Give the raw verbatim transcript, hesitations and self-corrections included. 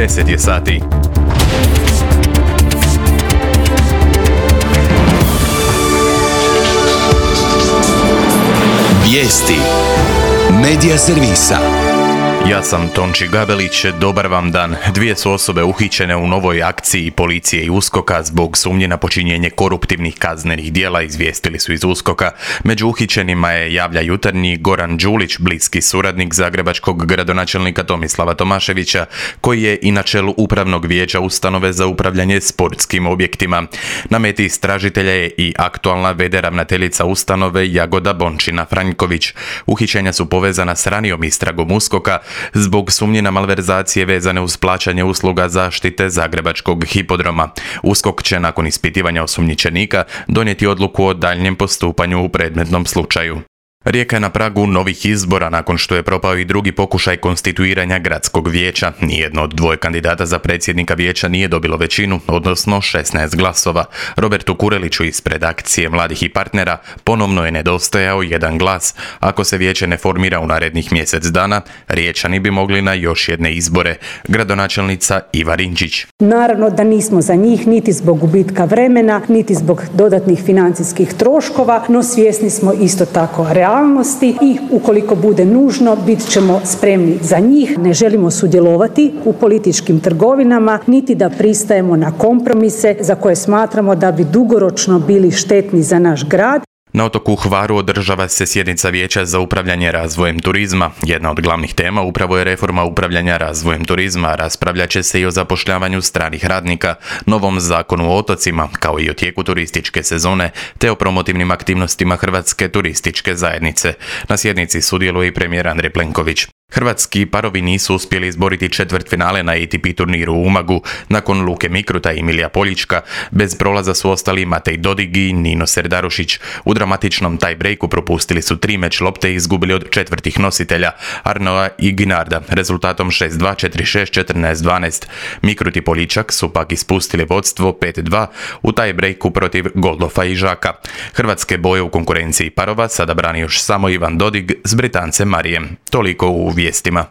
deset je sati. Vijesti Medija servisa. Ja sam Tonči Gabelić, dobar vam dan. Dvije su osobe uhićene u novoj akciji policije i USKOK-a zbog sumnje na počinjenje koruptivnih kaznenih djela, izvijestili su iz USKOK-a. Među uhićenima je, javlja Jutarnji, Goran Đulić, bliski suradnik zagrebačkog gradonačelnika Tomislava Tomaševića, koji je i na čelu upravnog vijeća ustanove za upravljanje sportskim objektima. Na meti istražitelja je i aktualna v d ravnateljica ustanove Jagoda Bončina-Franjković. Uhićenja su povezana s ranijom istragom USKOK-a zbog sumnje na malverzacije vezane uz plaćanje usluga zaštite zagrebačkog hipodroma. USKOK će nakon ispitivanja osumnjičenika donijeti odluku o daljnjem postupanju u predmetnom slučaju. Rijeka je na pragu novih izbora nakon što je propao i drugi pokušaj konstituiranja gradskog vijeća. Nijedno od dvoje kandidata za predsjednika vijeća nije dobilo većinu, odnosno šesnaest glasova. Robertu Kureliću ispred Akcije mladih i partnera ponovno je nedostajao jedan glas. Ako se vijeće ne formira u narednih mjesec dana, Riječani bi mogli na još jedne izbore. Gradonačelnica Iva Rinčić. Naravno da nismo za njih niti zbog gubitka vremena, niti zbog dodatnih financijskih troškova, no svjesni smo isto tako realnosti i ukoliko bude nužno bit ćemo spremni za njih. Ne želimo sudjelovati u političkim trgovinama niti da pristajemo na kompromise za koje smatramo da bi dugoročno bili štetni za naš grad. Na otoku Hvaru održava se sjednica Vijeća za upravljanje razvojem turizma. Jedna od glavnih tema upravo je reforma upravljanja razvojem turizma. Raspravljat će se i o zapošljavanju stranih radnika, novom zakonu o otocima, kao i o tijeku turističke sezone, te o promotivnim aktivnostima Hrvatske turističke zajednice. Na sjednici sudjeluje i premijer Andrej Plenković. Hrvatski parovi nisu uspjeli izboriti četvrtfinale na A T P turniru u Umagu. Nakon Luke Mikruta i Milija Poljička, bez prolaza su ostali Matej Dodig i Nino Serdarušić. U dramatičnom tie-breaku propustili su tri meč lopte i izgubili od četvrtih nositelja, Arnoa i Ginarda, rezultatom šest dva, četiri šest, četrnaest dvanaest. Mikrut i Poljičak su pak ispustili vodstvo pet dva u tie-breaku protiv Goldofa i Žaka. Hrvatske boje u konkurenciji parova sada brani još samo Ivan Dodig s Britancem Marijem. Toliko u vijestima.